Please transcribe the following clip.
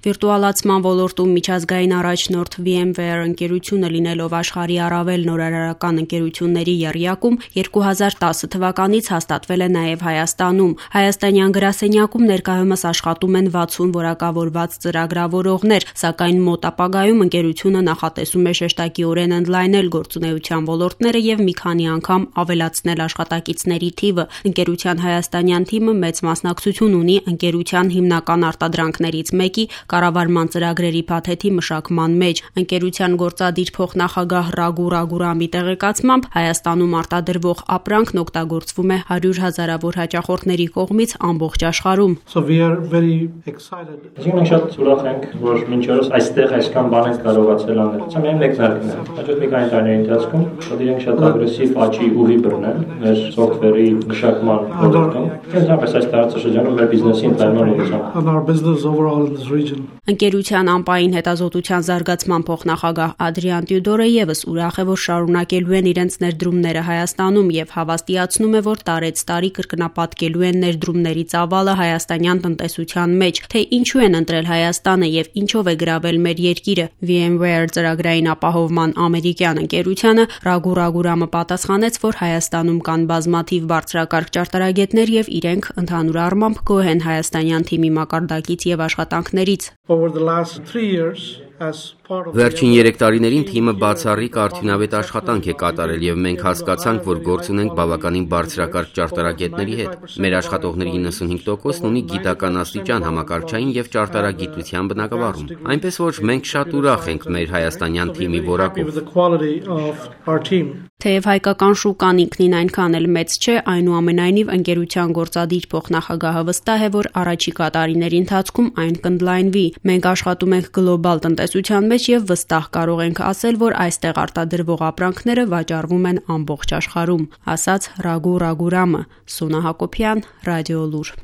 Վիրտուալացման ոլորտում միջազգային առաջնորդ VMware ընկերությունը լինելով աշխարհի առավել նորարարական ընկերությունների եռյակում 2010 թվականից հաստատվել է նաև Հայաստանում։ Հայաստանյան գրասենյակում ներկայումս աշխատում են 60 որակավորված ծրագրավորողներ, սակայն մոտ ապագայում ընկերությունը նախատեսում է շեշտակիորեն ընդլայնել գործունեության ոլորտները եւ մի քանի անգամ ավելացնել աշխատակիցների թիվը։ Ընկերության հայաստանյան թիմը մեծ մասնակցություն ունի ընկերության հիմնական արտադրանքներից մեկի կառավարման ծրագրերի փաթեթի մշակման մեջ։ Ընկերության գործադիր փոխնախագահ Ռագու Ռագուրամի տեղեկացմամբ Հայաստանում արտադրվող ապրանքն օգտագործվում է 100 հազարավոր հաճախորդների կողմից ամբողջ աշխարհում։ Մենք շատ ուրախ ենք, որ մինչ օրս այստեղ այսքան բան ենք կարողացել անել։ Սա միայն մեկնարկն է։ Հաջորդ մի քանի տարիների ընթացքում պետք է շատ ագրեսիվ աճի ուղի բռնեն մեր սոֆթվերի մշակման ոլորտում։ Հենց այս տարածաշրջանում մեր բիզնեսի ընդլայնման ուղղությամբ։ Ընկերության անպային հետազոտության զարգացման փոխնախագահ Ադրիան Տյուդորը եւս ուրախ է, որ շարունակելու են իրենց ներդրումները Հայաստանում եւ հավաստիացնում է, որ տարեցտարի կրկնապատկելու են ներդրումների ծավալը հայաստանյան տնտեսության մեջ, թե ինչու են ընտրել Հայաստանը եւ ինչով է գրավել մեր երկիրը։ VMware ծրագրային ապահովման ամերիկյան ընկերությանը Ռագու Ռագուրամը պատասխանեց, որ Հայաստանում կան բազմաթիվ բարձրակարգ ճարտարագետներ եւ իրենք ընդհանուր առմամբ գոհ են հայաստանյան թիմի մակարդակից եւ աշխատանքներից։ Վերջին 3 տարիներին թիմը բացառիկ արդյունավետ աշխատանք է կատարել եւ մենք հասկացանք, որ գործ ունենք բավականին բարձրակարգ ճարտարագետների հետ։ Մեր աշխատողների 95%-ն ունի գիտական աստիճան համակարգչային եւ ճարտարագիտության բնագավառում։ Այնպես որ մենք շատ ուրախ ենք մեր հայաստանյան թիմի որակով։ Թեև հայկական շուկան ինքնին այնքան էլ մեծ չէ, այնուամենայնիվ ընկերության գործադիր փոխնախագահը վստահ է, որ առաջիկա տարիների ընթացքում այն կընդլայնվի։ Մենք աշխատում ենք գլոբալ տնտեսության մեջ եւ վստահ կարող ենք ասել, որ այստեղ արտադրվող ապրանքները վաճառվում են ամբողջ աշխարհում, ասաց Ռագու Ռագուրամը։ Սունա Հակոբյան, Ռադիոլուր։